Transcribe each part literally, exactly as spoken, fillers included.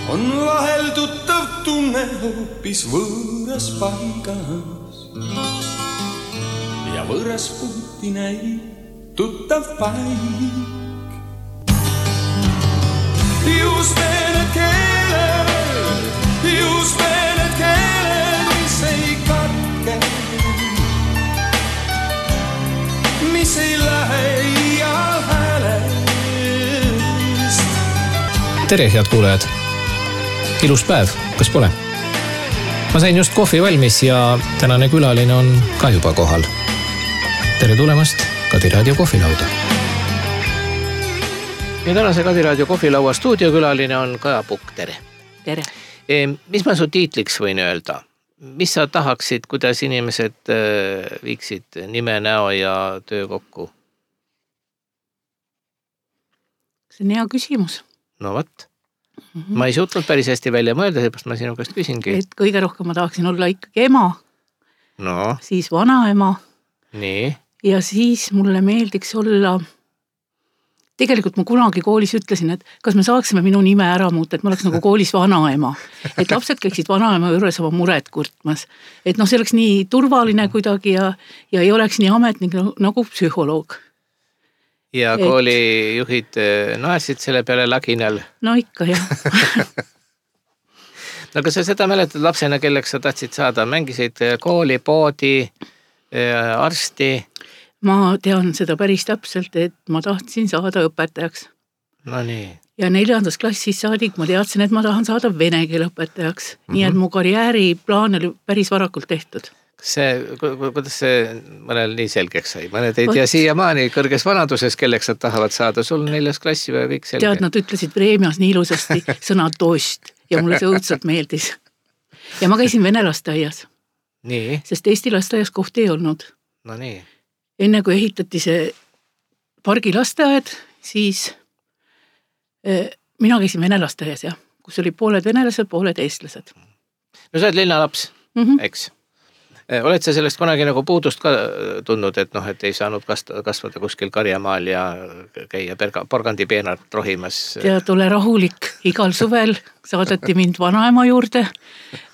on vahel tuttav tunne hoopis võõras paigas. Ja võõras puuti näib tuttav paik. Just need keeled, just need keeled, mis ei katke, mis ei lähe iial häälest. Tere, head kuulajad! Ilus päev, kas pole? Ma sain just kohvi valmis ja tänane külaline on ka juba kohal. Tere tulemast Kadi Raadio kohvilauda. Ja tänase Kadi Raadio kohvilaua stuudiokülaline on Kaja Pukk, tere. Tere. E, mis ma su tiitliks võin öelda? Mis sa tahaksid, kuidas inimesed viiksid nime, näo ja töö kokku? See on hea küsimus. No võt. Mm-hmm. Ma ei suutnud päris hästi välja mõelda, seepärast ma sinu käest küsingi. Et kõige rohkem ma tahaksin olla ikkagi ema, no. Siis vanaema. Nii. Ja siis mulle meeldiks olla, tegelikult ma kunagi koolis ütlesin, et kas me saaksime minu nime ära muuta, et ma oleks nagu koolis vanaema. Et lapsed käiksid vanaema juures oma muret kurtmas. Et noh, see oleks nii turvaline kuidagi ja, ja ei oleks nii ametnik nagu psühholoog. Ja koolijuhid naersid selle peale laginal. No ikka, jah. No kas sa seda mäletad lapsena, kelleks sa tahtsid saada? Mängisid kooli, poodi, arsti? Ma tean seda päris täpselt, et ma tahtsin saada õpetajaks. No nii. Ja neljandas klassis saadik ma teadsin, et ma tahan saada vene keele õpetajaks. Mm-hmm. Nii et mu karjääriplaan oli päris varakult tehtud. See, kuidas see mõnel nii selgeks sai? Mõned ei tea siia maani kõrges vanaduses, kelleks nad tahavad saada. Sul neljas klassi või kõik selge? Tead, nad ütlesid preemias nii ilusasti sõna tost ja mulle see õudselt meeldis. Ja ma käisin vene lasteaias. Nii? Sest Eesti lasteaias kohti ei olnud. No nii. Enne kui ehitati see pargi lasteaed, siis eh, mina käisin vene lasteaias, jah, kus oli pooled venelased, pooled eestlased. No sa oled linnalaps, mm-hmm. eks? Oled sa sellest kunagi nagu puudust ka tundnud, et noh, et ei saanud kasvada kuskil karjamaal ja käia porgandipeenart rohimas? Tead, ole rahulik. Igal suvel saadati mind vanaema juurde,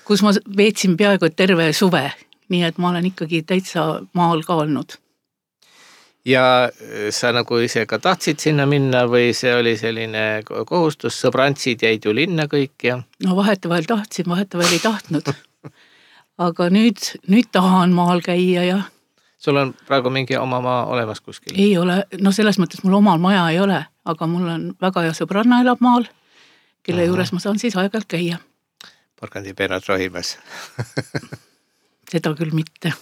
kus ma veetsin peaaegu terve suve. Nii et ma olen ikkagi täitsa maal ka olnud. Ja sa nagu ise ka tahtsid sinna minna või see oli selline kohustus? Sõbrantsid jäid ju linna kõik ja... No vahetevahel tahtsin, vahetevahel ei tahtnud. Aga nüüd, nüüd tahan maal käia ja... Sul on praegu mingi oma maa olemas kuskil? Ei ole, no selles mõttes mul omal maja ei ole, aga mul on väga hea sõbranna elab maal, kelle Aha. juures ma saan siis aeg-ajalt käia. Porgandipeenad rohimas. Seda küll mitte.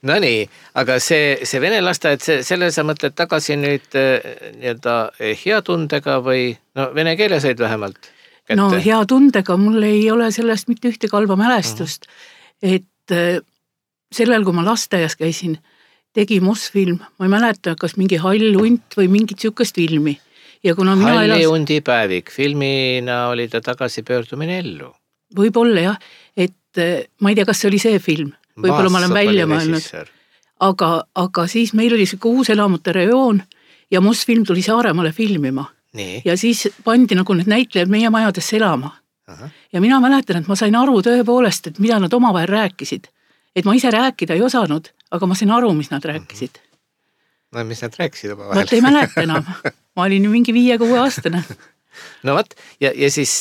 No nii, aga see, see vene lasteaed, see, selle sa mõtled tagasi nüüd nii-öelda hea tundega või no vene keele said vähemalt? Kätte. No hea tundega, mul ei ole sellest mitte ühte kalba mälestust, uh-huh. et sellel, kui ma lasteaias käisin, tegi Mosfilm, ma ei mäleta, kas mingi Hall unt või mingit sükast filmi. Ja kuna mina Halli elas... undi päevik, filmina oli ta tagasi pöördumine ellu. Võib-olla jah, et ma ei tea, kas see oli see film, võib-olla ma olen välja mõelnud, aga, aga siis meil oli see uus elamute rejoon ja Mosfilm tuli Saaremaale filmima. Nii. Ja siis pandi nagu need näitlejad meie majadesse elama. Aha. Ja mina mäletan, et ma sain aru tõepoolest, et mida nad omavahel rääkisid. Et ma ise rääkida ei osanud, aga ma sain aru, mis nad rääkisid. No mis nad rääkisid omavahel? Vaat ei mäleta enam. Ma olin ju mingi viie-kuue aastane. No vaat, ja, ja siis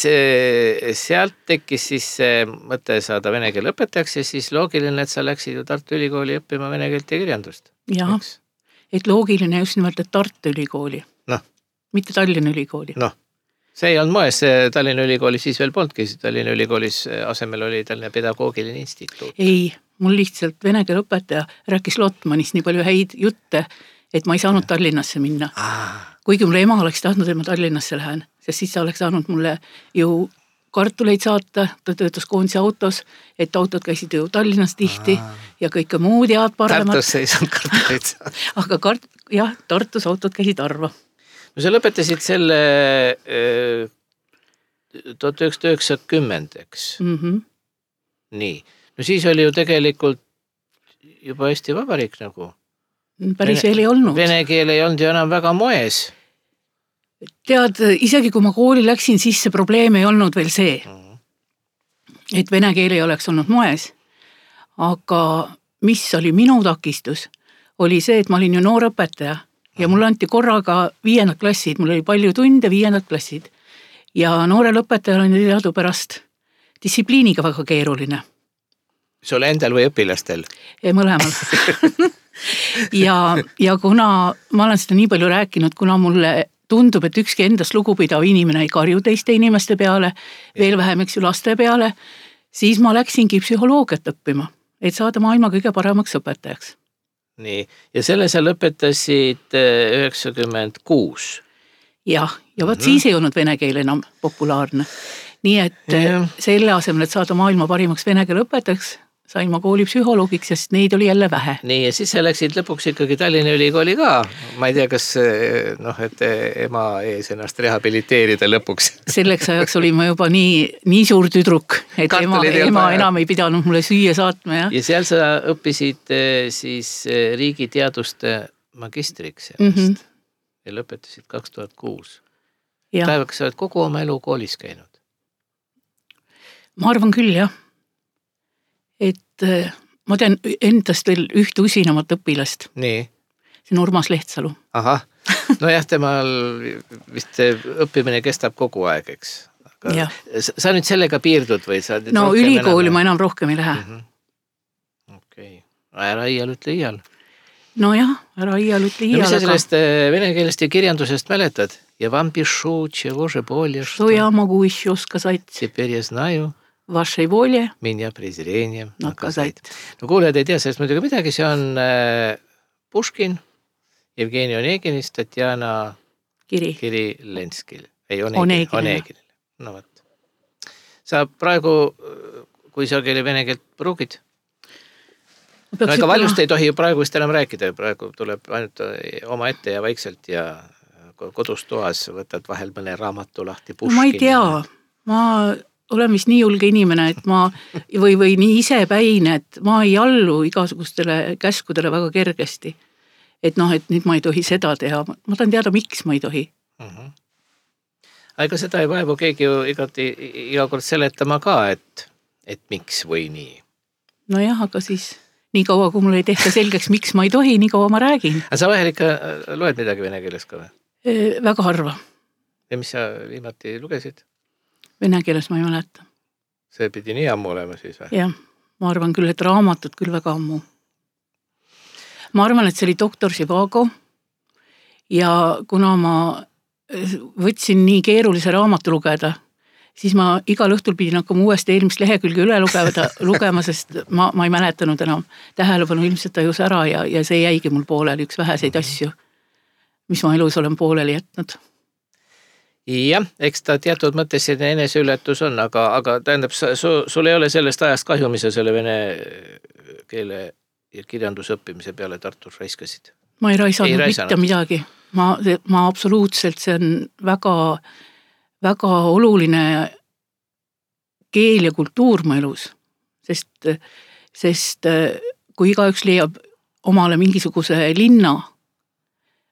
sealt tekkis siis mõte saada vene keele õpetajaks ja siis loogiline, et sa läksid ju Tartu Ülikooli õppima vene keelt ja kirjandust. Jah, et loogiline just nimelt, et Tartu Ülikooli. Noh. Mitte Tallinna Ülikooli. Noh, see ei olnud moes, Tallinna Ülikooli siis veel polnudki, Tallinna Ülikoolis asemel oli Tallinna pedagoogiline instituut. Ei, mul lihtsalt vene keele õpetaja rääkis Lotmanist nii palju häid jutte, et ma ei saanud Tallinnasse minna. Ah. Kuigi mulle ema oleks tahtnud, et ma Tallinnasse lähen, sest siis ta oleks saanud mulle ju kartuleid saata, ta töötas koondise autos, et autod käisid ju Tallinnas tihti ah. ja kõike muud head paremat. Tartus ei saanud kartuleid saada. Aga kart, jah, Tartus autod käisid harva. No sa lõpetasid selle äh, tuhat üheksasada üheksakümmend, eks? Mm-hmm. Nii. No siis oli ju tegelikult juba Eesti Vabariik nagu. Päris veel ei olnud. Vene keel ei olnud ju enam väga moes. tead, isegi kui ma kooli läksin, siis see probleem ei olnud veel see, et vene keel ei oleks olnud moes. Aga mis oli minu takistus, oli see, et ma olin ju noor õpetaja ja mul anti korraga viiendad klassid, mul oli palju tunde, viiendad klassid. Ja noorel õpetajal on teadupärast distsipliiniga väga keeruline. Sul endal või õpilastel? Mõlemal. ja, ja kuna ma olen seda nii palju rääkinud, kuna mulle tundub, et ükski endast lugupidav inimene ei karju teiste inimeste peale, veel vähem eks ju laste peale, siis ma läksingi psühholoogiat õppima, et saada maailma kõige paremaks õpetajaks. Nii, ja selle sa lõpetasid üheksakümmend kuus. Jah, ja võt mm-hmm. siis ei olnud vene keel enam populaarne. Nii et ja. Selle asemel, et saada maailma parimaks vene keel õpetajaks, sain ma kooli psühholoogiks, sest neid oli jälle vähe. Nii, ja siis sa läksid lõpuks ikkagi Tallinna Ülikooli ka. Ma ei tea, kas noh, et ema ees ennast rehabiliteerida lõpuks. Selleks ajaks oli ma juba nii, nii suur tüdruk, et ema, ema enam ei pidanud mulle süüa saatma. Ja, ja seal sa õppisid siis riigi teaduste magistriks ennast mm-hmm. ja lõpetasid kaks tuhat kuus. Päevaks sa oled kogu oma elu koolis käinud? Ma arvan küll, jah. Et ma tean endast veel ühte usinamat õpilast. Nii. See on Urmas Lehtsalu. Aha, no jah, temal vist õppimine kestab kogu aeg, eks. Aga sa nüüd sellega piirdud või sa... No ülikooli enam... ma enam rohkem ei lähe. Mm-hmm. Okei, okay. Ära iial ütle iial. No jah, ära iial ütle iial. No mis sa sellest vene keelest ja kirjandusest mäletad? Ja vam pišu, чего же более, что я могу еще сказать? Теперь я знаю. Вашей воле меня презрением наказать. No kuulejad ei tea sellest muidugi midagi, see on äh, Puškin, Jevgeni Oneginist, Tatjana Kiri, Kiri Lenskil. Ei, Onegin, Oneginil. No võt. Sa praegu, kui sa keeli vene keelt pruugid? No ega valjust ei tohi ju praegu vist enam rääkida, praegu tuleb ainult oma ette ja vaikselt ja kodus toas võtad vahel mõne raamatu lahti Puškin. No, ma ei tea, ma... olen vist nii julge inimene, et ma või, või nii isepäin, et ma ei allu igasugustele käskudele väga kergesti. Et noh, et nüüd ma ei tohi seda teha. Ma tahan teada, miks ma ei tohi. Mm-hmm. Aga seda ei vaevu keegi ju igati, iga kord seletama ka, et, et miks või nii. No jah, aga siis nii kaua, kui mul ei tehta selgeks, miks ma ei tohi, nii kaua ma räägin. Aga sa vahel ikka loed midagi vene keeles ka või? E, väga harva. Ja mis sa viimati lugesid? Vene keeles ma ei mäleta. See pidi nii ammu olema siis või? Jah, ma arvan küll, et raamatut küll väga ammu. Ma arvan, et see oli doktor Živago ja kuna ma võtsin nii keerulise raamatu lugeda, siis ma igal õhtul pidin hakkama uuesti eelmist lehekülge üle lugeda, lugema, sest ma, ma ei mäletanud enam. Tähelepanu ilmselt tajus ära ja, ja see jäigi mul pooleli üks väheseid asju, mis ma elus olen pooleli jätnud. Jah, eks ta teatud mõttes eneseületus on, aga, aga tähendab, su, sul ei ole sellest ajast kahju, mis sa selle vene keele ja kirjanduse õppimise peale Tartus raiskasid? Ma ei raisanud, ei raisanud. Mitte midagi. Ma, ma absoluutselt, see on väga, väga oluline keel ja kultuur mu elus, sest, sest kui igaüks leiab omale mingisuguse linna,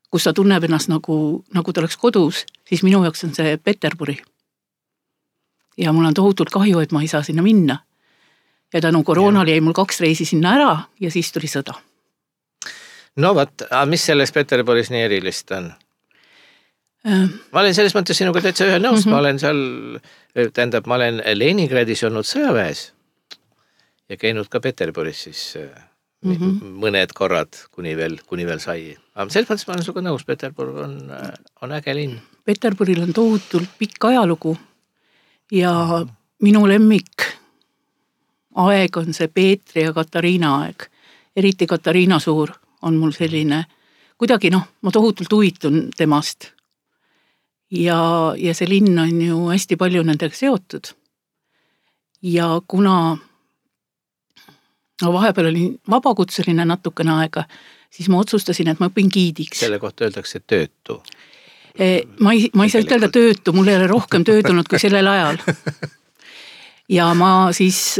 kus ta tunneb ennast nagu, nagu ta oleks kodus, siis minu jaoks on see Peterburi. Ja mul on tohutult kahju, et ma ei saa sinna minna. Ja tänu koroonal jäi mul kaks reisi sinna ära ja siis tuli sõda. No võt, mis selles Peterburis nii erilist on? Äh. Ma olen selles mõttes sinuga täitsa ühe nõus, mm-hmm. ma olen seal, tähendab, ma olen Leningradis olnud sõjaväes ja käinud ka Peterburis siis mm-hmm. mõned korrad, kuni veel, kuni veel sai. Aga selles mõttes ma olen suga nõus, Peterbur on, on äge linn. Peterburil on tohutult pikk ajalugu ja minu lemmik aeg on see Peetri ja Katariina aeg. Eriti Katariina Suur on mul selline, kuidagi noh, ma tohutult huvitun temast. Ja, ja see linn on ju hästi palju nendega seotud. Ja kuna no vahepeal oli vabakutseline natukene aega, siis ma otsustasin, et ma õpin giidiks. Selle kohta öeldakse töötu. Ma ei, ma ei saa ütelda töötu, mul ei ole rohkem töötunud kui sellel ajal. Ja ma siis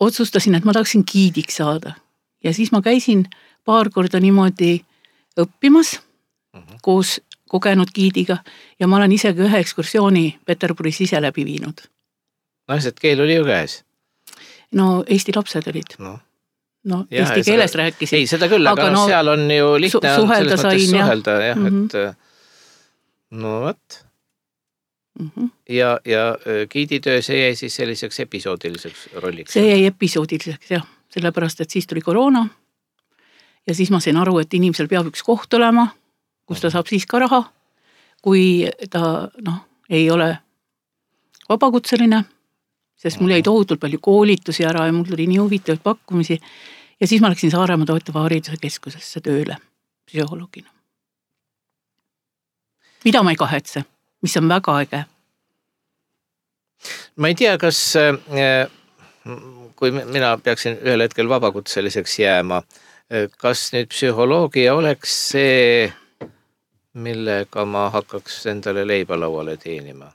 otsustasin, et ma tahaksin giidiks saada. Ja siis ma käisin paar korda niimoodi õppimas uh-huh. koos, kogenud giidiga ja ma olen isegi ühe ekskursiooni Peterburis ise läbi viinud. No, sest keel oli ju käes. No, Eesti lapsed olid. No, no ja, eesti keeles seda, rääkisid. Ei, seda küll, aga, aga no, seal on ju lihtne su- selles mõttes sain, suhelda, jah, mm-hmm. et no võt. Mm-hmm. Ja, ja giiditöö, see jäi siis selliseks episoodiliseks rolliks? See jäi episoodiliseks, jah. Sellepärast, et siis tuli koroona ja siis ma sain aru, et inimesel peab üks koht olema, kus ta saab siis ka raha, kui ta noh, ei ole vabakutseline, sest mul jäi tohutult palju koolitusi ära ja mul tuli nii huvitavaid pakkumisi ja siis ma läksin Saaremaa toetava hariduse keskusesse tööle psühholoogina. Mida ma ei kahetse, mis on väga äge. Ma ei tea, kas kui mina peaksin ühel hetkel vabakutseliseks jääma, kas nüüd psühholoogia oleks see, millega ma hakkaks endale leibalauale teenima?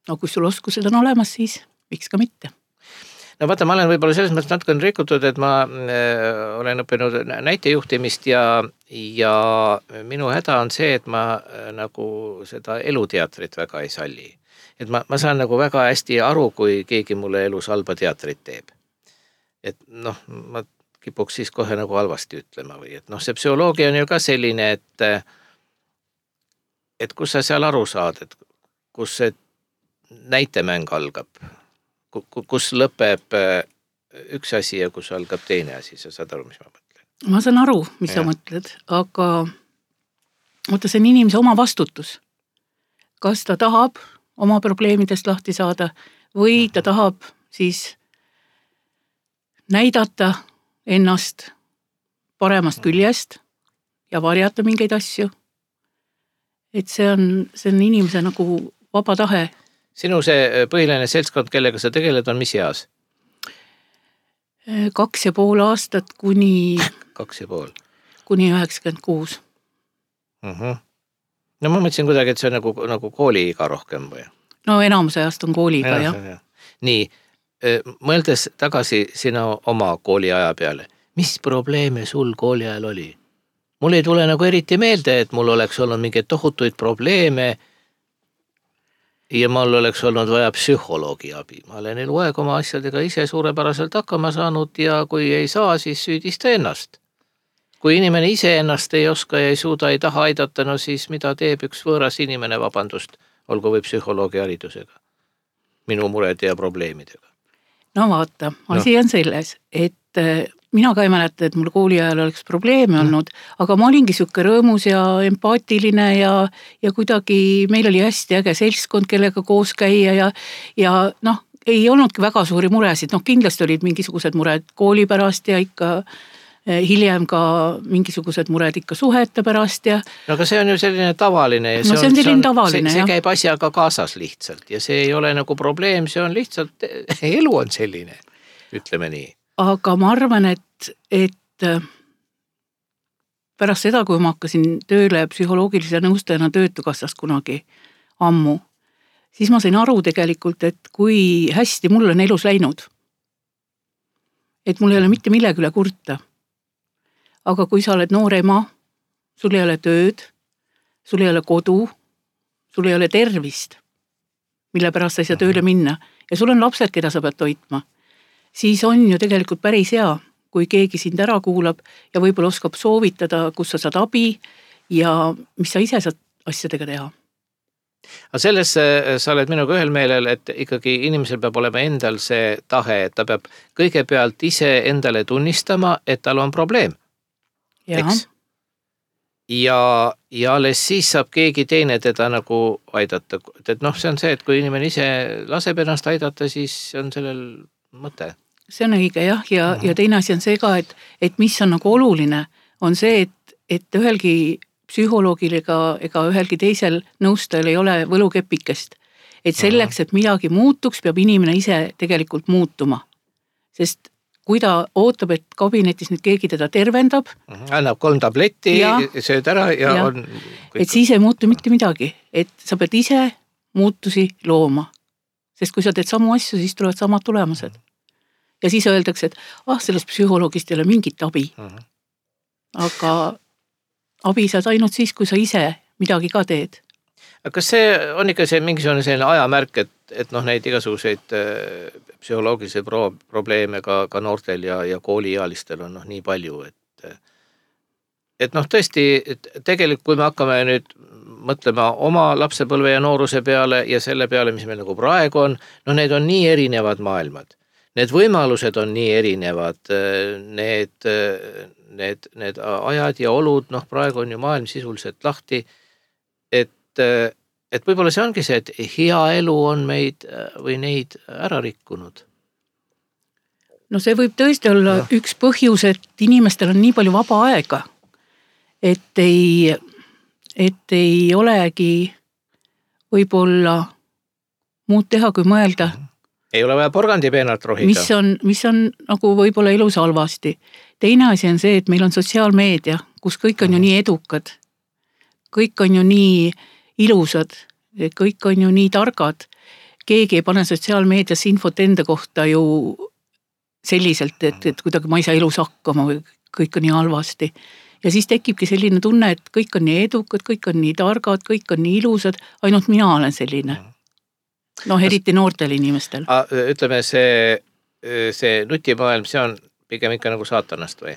No kui sul oskused on olemas, siis miks ka mitte? No vaata, ma olen võib-olla selles mõttes natuke rikutud, et ma äh, olen õppinud näitejuhtimist ja, ja minu häda on see, et ma äh, nagu seda eluteatrit väga ei salli. Et ma, ma saan nagu väga hästi aru, kui keegi mulle elus halba teatrit teeb. Et noh, ma kipuks siis kohe nagu halvasti ütlema või et noh, see psühholoogia on ju ka selline, et et kus sa seal aru saad, et kus see näitemäng algab, kus lõpeb üks asi ja kus algab teine asi, sa saad aru, mis ma mõtlen? Ma saan aru, mis ja. Sa mõtled, aga oota, see on inimese oma vastutus. Kas ta tahab oma probleemidest lahti saada või ta tahab siis näidata ennast paremast küljest ja varjata mingeid asju. Et see on, see on inimese nagu vaba tahe. Sinu see põhiline seltskond, kellega sa tegeled, on mis eas? Kaks ja pool aastat kuni... Kaks ja pool. Kuni üheksakümmend kuus. Uh-huh. No ma mõtlesin kuidagi, et see on nagu, nagu kooliiga rohkem või? No enamuse ajast on kooliiga, jah. Ja. Nii, mõeldes tagasi sina oma kooliaja peale, mis probleeme sul kooli ajal oli? Mul ei tule nagu eriti meelde, et mul oleks olnud mingeid tohutuid probleeme ja mul oleks olnud vaja psühholoogi abi. Ma olen eluaeg oma asjadega ise suurepäraselt hakkama saanud ja kui ei saa, siis süüdista ennast. Kui inimene ise ennast ei oska ja ei suuda, ei taha aidata, no siis mida teeb üks võõras inimene, vabandust, olgu või psühholoogi haridusega, minu murede ja probleemidega. No vaata, asi no. on selles, et mina ka ei mäleta, et mul kooli ajal oleks probleeme olnud, aga ma olingi siuke rõõmus ja empaatiline ja, ja kuidagi meil oli hästi äge seltskond, kellega koos käia ja, ja noh, ei olnudki väga suuri muresid, noh kindlasti olid mingisugused mured kooli pärast ja ikka hiljem ka mingisugused mured ikka suhete pärast ja... No aga see on ju selline tavaline ja see, no, see on selline tavaline, see, see käib asjaga kaasas lihtsalt ja see ei ole nagu probleem, see on lihtsalt, elu on selline, ütleme nii. Aga ma arvan, et, et pärast seda, kui ma hakkasin tööle psühholoogilise nõustajana Töötukassas kunagi ammu, siis ma sain aru tegelikult, et kui hästi mul on elus läinud. Et mul ei ole mitte millegi üle kurta. Aga kui sa oled noor ema, sul ei ole tööd, sul ei ole kodu, sul ei ole tervist, mille pärast sa ei saa tööle minna ja sul on lapsed, keda sa pead toitma, siis on ju tegelikult päris hea, kui keegi sind ära kuulab ja võib-olla oskab soovitada, kus sa saad abi ja mis sa ise saad asjadega teha. Aga selles sa oled minuga ühel meelel, et ikkagi inimesel peab olema endal see tahe, et ta peab kõigepealt ise endale tunnistama, et tal on probleem. Ja. Eks? Ja, ja alles siis saab keegi teine teda nagu aidata. Et noh, see on see, et kui inimene ise laseb ennast aidata, siis on sellel mõte. See on õige jah ja, ja teine asi on see ka, et, et mis on nagu oluline, on see, et, et ühelgi psühholoogil ega, ega ühelgi teisel nõustajal ei ole võlukepikest. Et selleks, et midagi muutuks, peab inimene ise tegelikult muutuma. Sest kui ta ootab, et kabinetis nüüd keegi teda tervendab, annab kolm tabletti, ja, sööd ära ja, ja on... Kõik... Et siis ei muutu mitte midagi. Et sa pead ise muutusi looma. Sest kui sa teed samu asju, siis tulevad samad tulemused. Ja siis öeldakse, et ah, sellest psühholoogist ei ole mingit abi. Uh-huh. Aga abi saad ainult siis, kui sa ise midagi ka teed. Kas see on ikka see mingisugune selline ajamärk, et, et noh, neid igasuguseid psühholoogilisi pro- probleeme ka, ka noortel ja, ja kooliealistel on noh, nii palju, et, et noh, tõesti, et tegelikult kui me hakkame nüüd mõtlema oma lapsepõlve ja nooruse peale ja selle peale, mis meil nagu praegu on, no need on nii erinevad maailmad. Need võimalused on nii erinevad, need, need, need ajad ja olud, noh, praegu on ju maailm sisuliselt lahti, et et võib-olla see ongi see, et hea elu on meid või neid ära rikkunud. No see võib tõesti olla no. üks põhjus, et inimestel on nii palju vaba aega, et ei, et ei olegi võib-olla muud teha, kui mõelda. Ei ole vaja porgandipeenalt rohida. Mis on, mis on nagu võib-olla elus halvasti. Teine asi on see, et meil on sotsiaalmeedia, kus kõik on ju nii edukad. Kõik on ju nii ilusad, kõik on ju nii targad. Keegi ei pane sotsiaalmeedias infot enda kohta ju selliselt, et, et kuidagi ma ei saa elus hakkama või kõik on nii halvasti. Ja siis tekibki selline tunne, et kõik on nii edukad, kõik on nii targad, kõik on nii ilusad, ainult mina olen selline. No eriti noortel inimestel. Ütleme, see, see nutimaailm, see on pigem ikka nagu saatanast või?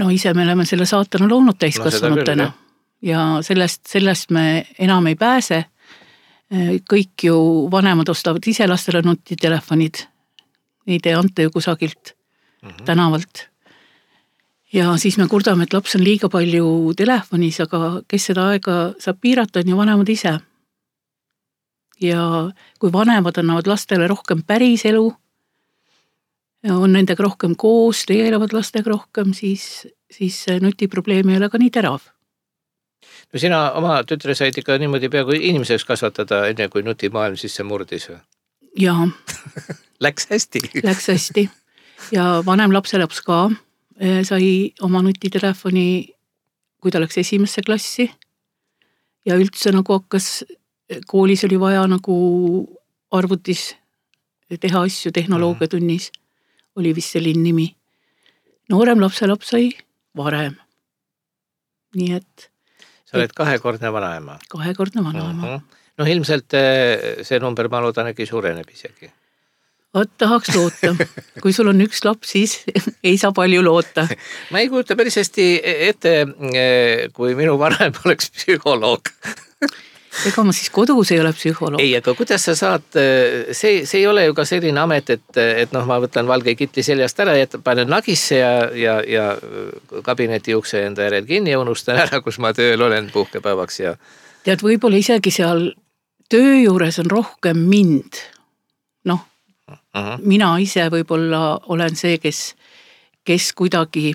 No ise me oleme selle saatana loonud täiskasvanutena. No, ja sellest, sellest me enam ei pääse. Kõik ju vanemad ostavad ise lastele nutitelefonid. Ei tee ante ju kusagilt mm-hmm. tänavalt. Ja siis me kurdame, et laps on liiga palju telefonis, aga kes seda aega saab piirata, on ju vanemad ise. Ja kui vanemad annavad lastele rohkem päris elu, on nendega rohkem koos, tegelevad lastega rohkem, siis, siis nutiprobleem ei ole ka nii terav. No sina oma tütre said ikka niimoodi peaaegu inimeseks kasvatada, enne kui nutimaailm sisse murdis või? Jaa. Läks hästi. Läks hästi. Ja vanem lapselaps ka sai oma nutitelefoni, kui ta läks esimesse klassi. Ja üldse nagu hakkas, koolis oli vaja nagu arvutis teha asju tehnoloogiatunnis. Oli vist selline nimi. Noorem lapselaps sai varem. Nii et sa oled kahekordne vanaema. Kahekordne vanaema. Uh-huh. No ilmselt see number ma loodan äkki suureneb isegi. Vaat tahaks loota. Kui sul on üks laps, siis ei saa palju loota. Ma ei kujuta päris hästi ette, kui minu vanaema oleks psühholoog. Ega ma siis kodus ei ole psühholoog. Ei, aga kuidas sa saad, see, see ei ole ju ka selline amet, et, et noh, ma võtan valge kitli seljast ära ja panen nagisse ja, ja, ja kabineti ukse enda järel kinni ja unustan ära, kus ma tööl olen puhkepäevaks. Ja... Tead, võib-olla isegi seal töö juures on rohkem mind. Noh, uh-huh. mina ise võib-olla olen see, kes, kes kuidagi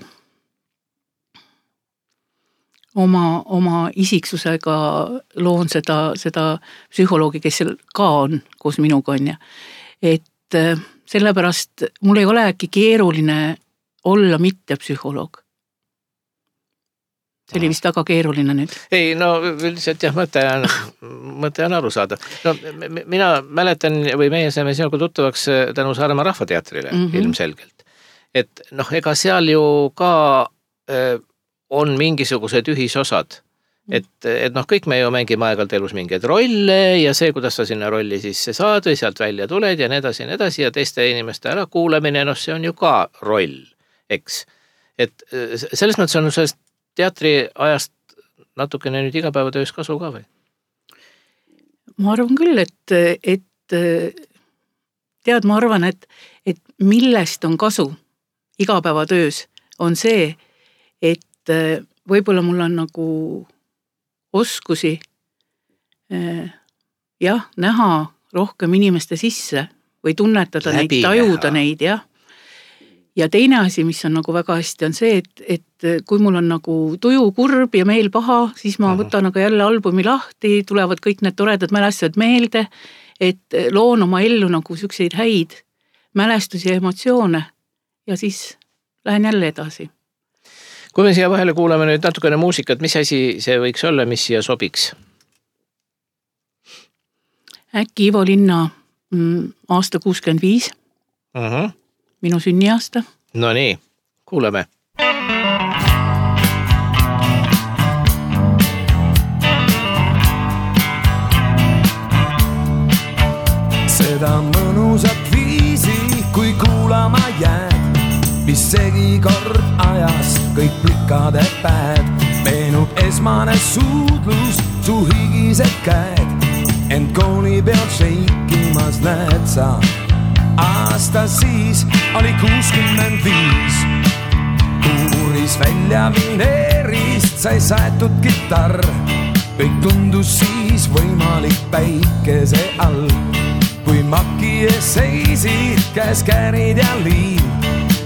oma, oma isiksusega loon seda, seda psühholoogi, kes seal ka on, koos minuga on. Et sellepärast mul ei ole äkki keeruline olla mitte psühholoog. See oli vist väga keeruline nüüd. Ei, no üldiselt jah, mõte on, mõte on aru saada. No, mina mäletan või meie saime sinuga tuttavaks tänu Saaremaa Rahvateatrile mm-hmm. ilmselgelt. Et noh, ega seal ju ka äh, on mingisugused ühisosad. Et, et noh, kõik me ju mängime aegalt elus mingeid rolle ja see, kuidas sa sinna rolli sisse saad või sealt välja tuled ja nii edasi ja nii edasi ja teiste inimeste ära kuulamine, noh, see on ju ka roll, eks. Et selles mõttes on sellest teatri ajast natukene nüüd igapäevatöös kasu ka või? Ma arvan küll, et, et tead, ma arvan, et, et millest on kasu igapäevatöös on see, et võib-olla mul on nagu oskusi jah, näha rohkem inimeste sisse või tunnetada Läbi neid, tajuda näha. Neid, jah. Ja teine asi, mis on nagu väga hästi, on see, et, et kui mul on nagu tuju kurb ja meel paha, siis ma võtan aga jälle albumi lahti, tulevad kõik need toredad mälestused meelde, et loon oma ellu nagu sükseid häid mälestusi ja emotsioone ja siis lähen jälle edasi. Kui me siia vahele kuulame nüüd natukene muusikat, mis asi see võiks olla, mis siia sobiks? Äkki Ivo Linna mm, aasta kuuskümmend viis. Uh-huh. Minu sünniaasta. No nii, kuulame. seda mõnusat viisi, kui kuulama jääd, mis segi kord ajas kõik plikade päed. Meenub esmane suudlus, su higised käed, ent kooli peal šeikimas näed sa. Aasta siis oli kuuskümmend viis, kuuris välja vineerist sai saetud kitarr. Kõik tundus siis võimalik päikese all, kui maki ees seisid käes käärid ja liin.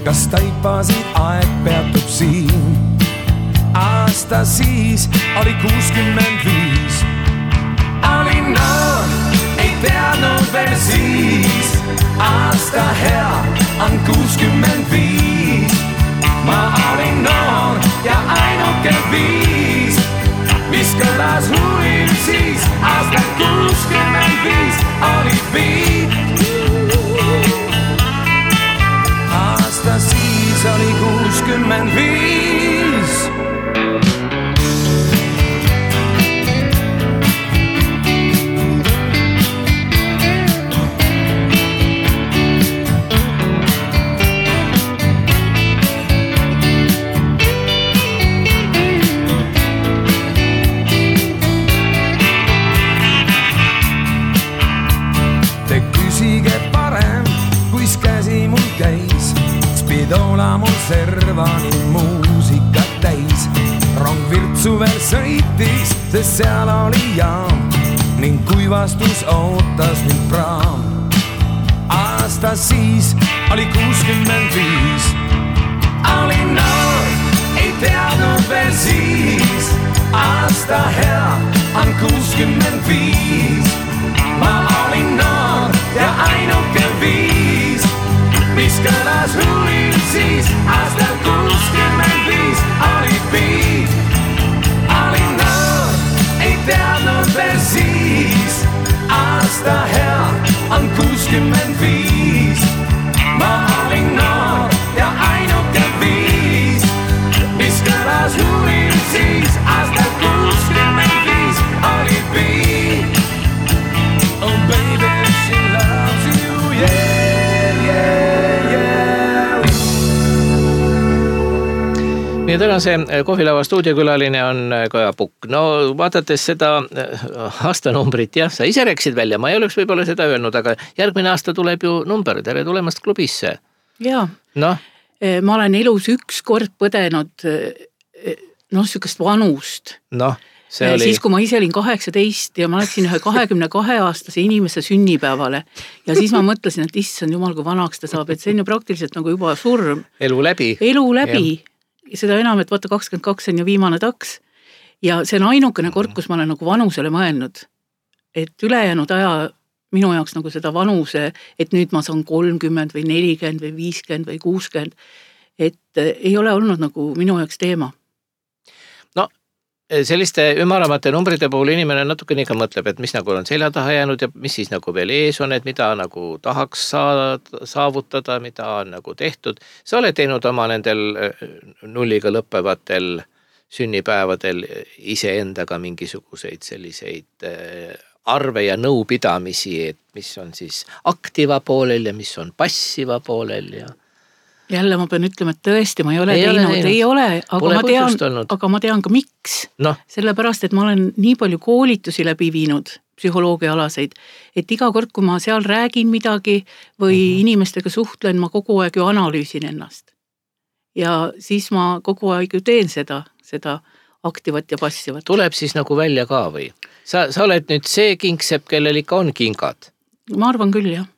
Kas taipasid aeg peatub siin? Aasta siis oli kuuskümmend viis. Olin noor, ei teadnud veel siis. Aasta hea on kuuskümmend viis. Ma olin noor ja ainuke viis, mis kõlas hullil siis. Aasta kuuskümmend viis oli viit. Aasta siis oli kuuskümmend viis. Ola mul servani muusikat täis. Rong Virtsu veel sõitis, sest seal oli jaam ning kuivastus ootas mind praam. Aasta siis oli kuuskümmend viis. Olin noor, ei teadnud veel siis. Aasta hea on kuuskümmend viis. Ma olin noor ja ainuke viis, mis kõlas hullil siis. Aasta kuuskümmend viis oli viit. Olin noor, ei teadnud veel siis. Aasta hea on kuuskümmend viis. Ma olin noor ja ainuke viis, mis kõlas hullil siis. Aasta kuuskümmend viis oli viit. Oh baby, she loves you, yeah, yeah, yeah. Meie tänase kohvilava stuudiokülaline on Kaja Pukk. No vaadates seda aastanumbrit, jah, sa ise rääkisid välja, ma ei oleks võib-olla seda öelnud, aga järgmine aasta tuleb ju number, tere tulemast klubisse. Jaa, no? Ma olen elus üks kord põdenud noh, sükast vanust. Noh, see oli... Siis, kui ma ise olin kaheksateist ja ma läksin ühe kahekümne kahe aastase inimese sünnipäevale ja siis ma mõtlesin, et issand jumal, kui vanaks ta saab, et see on ju praktiliselt nagu juba surm. Elu läbi. Elu läbi. Ja seda enam, et vaata kakskümmend kaks on ju viimane taks. Ja see on ainukene kord, kus ma olen nagu vanusele mõelnud. Et ülejäänud aja minu jaoks nagu seda vanuse, et nüüd ma saan kolmkümmend või nelikümmend või viiskümmend või kuuskümmend, et ei ole olnud nagu minu jaoks teema. No, selliste ümaramate numbrite puhul inimene natukene ikka mõtleb, et mis nagu on selja taha jäänud ja mis siis nagu veel ees on, et mida nagu tahaks saada, saavutada, mida on nagu tehtud. Sa oled teinud oma nendel nulliga lõppevatel sünnipäevadel iseendaga mingisuguseid selliseid arve ja nõupidamisi, et mis on siis aktiva poolel ja mis on passiva poolel ja... Jälle ma pean ütlema, et tõesti ma ei ole ei teinud, ole ei ole, aga ma, tean, aga ma tean ka miks. No. Sellepärast, et ma olen nii palju koolitusi läbi viinud, psühholoogiaalaseid, et iga kord, kui ma seal räägin midagi või mm-hmm. inimestega suhtlen, ma kogu aeg ju analüüsin ennast. Ja siis ma kogu aeg ju teen seda, seda aktivat ja passivat. Tuleb siis nagu välja ka või? Sa, sa oled nüüd see kingsepp, kellel ikka on kingad? Ma arvan küll, jah.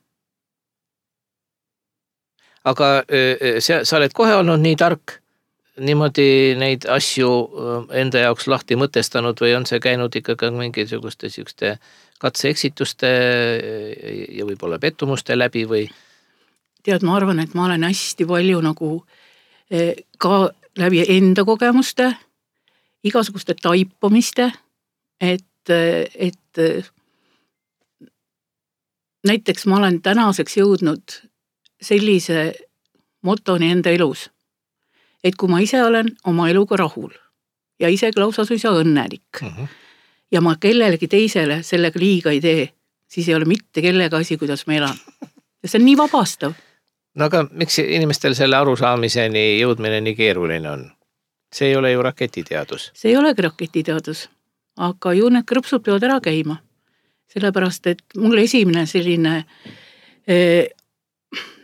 Aga sa, sa oled kohe olnud nii tark, niimoodi neid asju enda jaoks lahti mõtestanud või on see käinud ikkagi mingisuguste sükste katse-eksituste ja võib-olla pettumuste läbi või? Tead, ma arvan, et ma olen hästi palju nagu ka läbi enda kogemuste, igasuguste taipamiste, et, et näiteks ma olen tänaseks jõudnud sellise motoni enda elus, et kui ma ise olen oma eluga rahul ja isegi lausa suisa õnnelik uh-huh. ja ma kellelegi teisele sellega liiga ei tee, siis ei ole mitte kellega asi, kuidas ma elan. Ja see on nii vabastav. No aga miks inimestel selle arusaamiseni jõudmine nii keeruline on? See ei ole ju raketiteadus. See ei olegi raketiteadus, aga ju need krõpsud peavad ära käima. Sellepärast, et mul esimene selline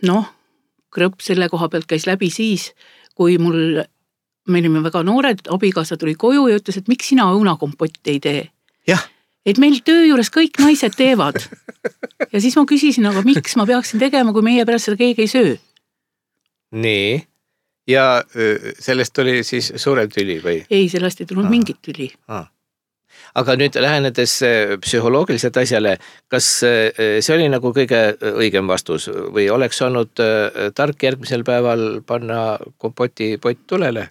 noh, krõpp selle koha pealt käis läbi siis, kui mul, me olime väga noored, abikaasa tuli koju ja ütles, et miks sina õunakompotti ei tee? Jah. Et meil töö juures kõik naised teevad. Ja siis ma küsisin, aga miks ma peaksin tegema, kui meie pärast seda keegi ei söö? Nii. Ja sellest tuli siis suurem tüli või? Ei, sellest ei tulnud Aa. mingit tüli. Aa. Aga nüüd lähenedes psühholoogiliselt asjale, kas see oli nagu kõige õigem vastus või oleks olnud tark järgmisel päeval panna kompoti pott tulele?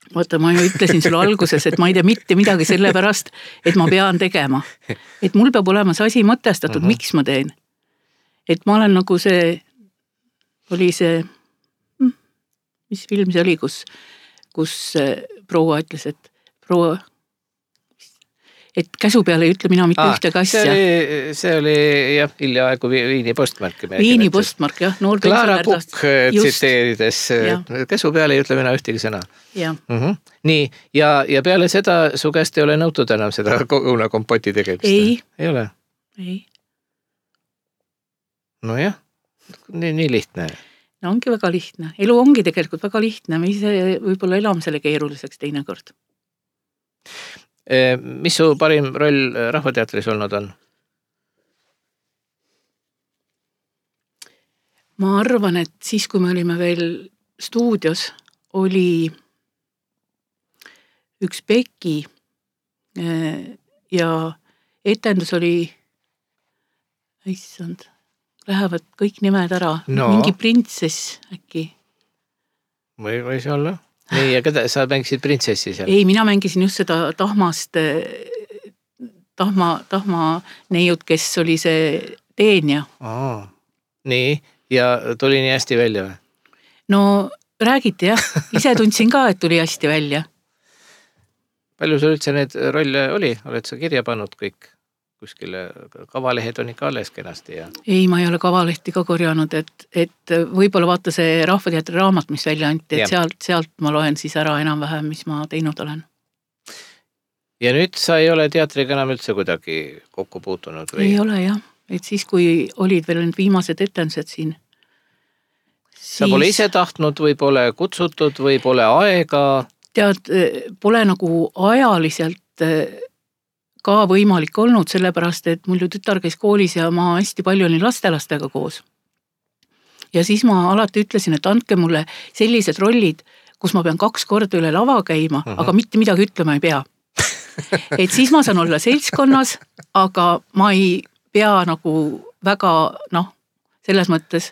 Vaata, ma ju ütlesin sulle alguses, et ma ei tea mitte midagi selle pärast, et ma pean tegema. Et mul peab olema see asi mõtestatud, uh-huh. miks ma teen. Et ma olen nagu see, oli see, mis film see oli, kus, kus proua ütles, et proua, et käsu peale ei ütle mina mitte ah, ühte kassia. See oli, see oli jah, hiljaaegu Viini postmark. Viini postmark, jah. Klaara Kukk tsiteerides, käsu peale ei ütle mina ühtegi sõna. Ja. Uh-huh. Nii, ja, ja peale seda su käest ei ole nõutud enam seda õunakompoti tegemist? Ei. Ei ole? Ei. No jah, nii, nii lihtne. No ongi väga lihtne. Elu ongi tegelikult väga lihtne. Me ise võib-olla elame selle keeruliseks teinekord. Mis su parim roll Rahvateatris olnud on? Ma arvan, et siis, kui me olime veel stuudios, oli üks Peki ja etendus oli, issand, lähevad kõik nimed ära. No. Mingi printsess äkki. Või võis olla? Nii, ja keda, sa mängisid printsessi seal? Ei, mina mängisin just seda tahmast, tahma, tahma neiut, kes oli see teenja. Aa, nii, ja tuli nii hästi välja või? No räägiti jah, ise tundsin ka, et tuli hästi välja. Palju sul üldse need rolle oli? Oled sa kirja pannud kõik? Kuskile kavalehed on ikka alles kenasti ja... Ei, ma ei ole kavalehti ka korjanud, et, et võib-olla vaata see Rahvateatri raamat, mis välja anti, et sealt, sealt ma loen siis ära enam-vähem, mis ma teinud olen. Ja nüüd sa ei ole teatriga enam üldse kuidagi kokku puutunud või? Ei ole jah, et siis kui olid veel need viimased etendused siin. Siis... Sa pole ise tahtnud või pole kutsutud või pole aega? Tead, pole nagu ajaliselt ka võimalik olnud, sellepärast, et mul ju tütar käis koolis ja ma hästi palju olin lastelastega koos. Ja siis ma alati ütlesin, et andke mulle sellised rollid, kus ma pean kaks korda üle lava käima, uh-huh. aga mitte midagi ütlema ei pea. Et siis ma saan olla seltskonnas, aga ma ei pea nagu väga, noh, selles mõttes,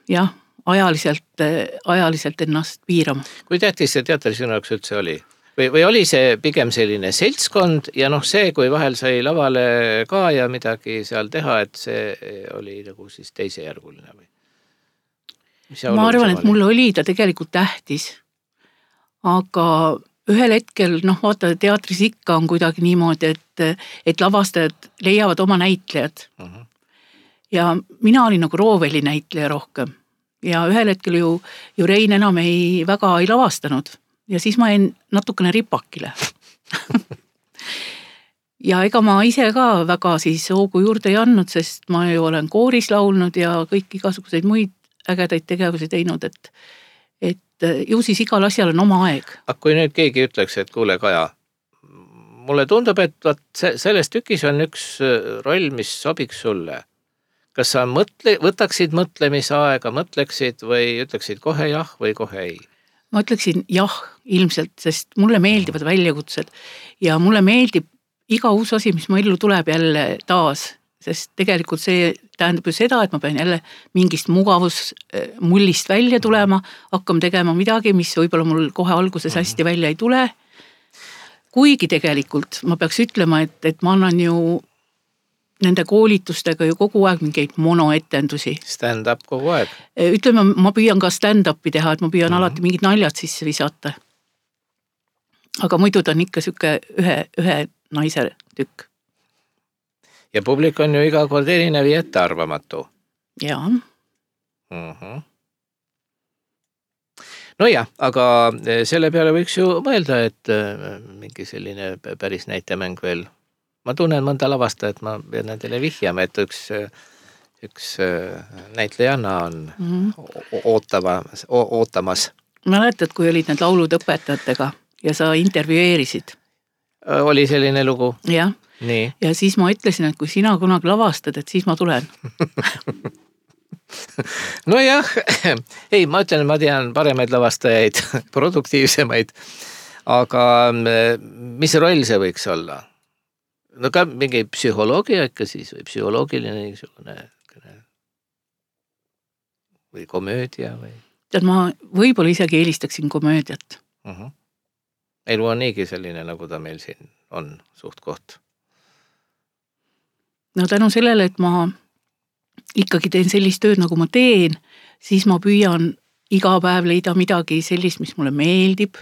jah, ajaliselt, ajaliselt ennast piirama. Kui tähtis see teatri sinu jaoks üldse oli? Või, või oli see pigem selline seltskond ja noh see, kui vahel sai lavale ka ja midagi seal teha, et see oli nagu siis teisejärguline või? Ma arvan, et mul oli ta tegelikult tähtis, aga ühel hetkel, noh vaata teatris ikka on kuidagi niimoodi, et, et lavastajad leiavad oma näitlejad uh-huh. ja mina olin nagu rooveli näitleja rohkem ja ühel hetkel ju, ju Rein enam ei, väga ei lavastanud. Ja siis ma jäin natukene ripakile. Ja ega ma ise ka väga siis hoogu juurde ei andnud, sest ma ju olen kooris laulnud ja kõik igasuguseid muid ägedaid tegevusi teinud, et, et ju siis igal asjal on oma aeg. Aga kui nüüd keegi ütleks, et kuule Kaja, mulle tundub, et vaat selles tükis on üks roll, mis sobiks sulle. Kas sa mõtle, võtaksid mõtlemisaega, mõtleksid või ütleksid kohe jah või kohe ei? Ma ütleksin jah, ilmselt, sest mulle meeldivad väljakutsed ja mulle meeldib iga uus asi, mis mu ellu tuleb jälle taas, sest tegelikult see tähendab ju seda, et ma pean jälle mingist mugavusmullist välja tulema, hakkam tegema midagi, mis võib-olla mul kohe alguses hästi välja ei tule. Kuigi tegelikult ma peaks ütlema, et, et ma annan ju nende koolitustega ju kogu aeg mingeid monoetendusi. Stand-up kogu aeg? Ütleme, ma püüan ka stand-upi teha, et ma püüan mm-hmm. alati mingid naljad sisse visata. Aga muidu ta on ikka süke ühe, ühe naise tükk. ja publik on ju iga kord erinev ja ettearvamatu. Jaa. Mm-hmm. No jah, aga selle peale võiks ju mõelda, et mingi selline päris näitemäng veel. Ma tunnen mõnda lavasta, et ma pean nendele vihjama, et üks, üks näitlejanna on mm-hmm. ootama, ootamas. Mäletad, kui olid need laulud õpetajatega ja sa intervjueerisid? Oli selline lugu? Jah. Nii. Ja siis ma ütlesin, et kui sina kunagi lavastad, et siis ma tulen. No jah, ei, ma ütlen, ma tean paremaid lavastajaid, produktiivsemaid, aga mis roll see võiks olla? No ka mingi psühholoogia ikka siis või psühholoogiline niisugune või komöödia või? Tead, ma võib-olla isegi eelistaksin komöödiat. Uh-huh. Elu on niigi selline, nagu ta meil siin on suht koht. No tänu sellele, et ma ikkagi teen sellist tööd, nagu ma teen, siis ma püüan iga päev leida midagi sellist, mis mulle meeldib,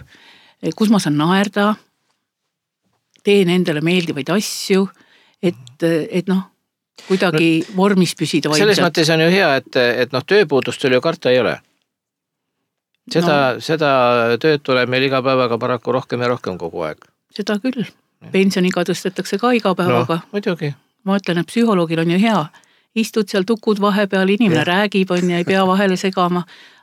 kus ma saan naerda, teen endale meeldivaid asju, et, et noh, kuidagi no, vormis püsida vaimselt. Selles mõttes on ju hea, et, et noh, tööpuudust ju karta ei ole. Seda, no, seda tööd tuleb meil iga päevaga paraku rohkem ja rohkem kogu aeg. Seda küll. Pensioniga tõstetakse ka iga päevaga. No, muidugi. Ma ütlen, et psühholoogil on ju hea. Istud seal tukud vahepeal, inimene ja. räägib on ja ei pea vahele segama,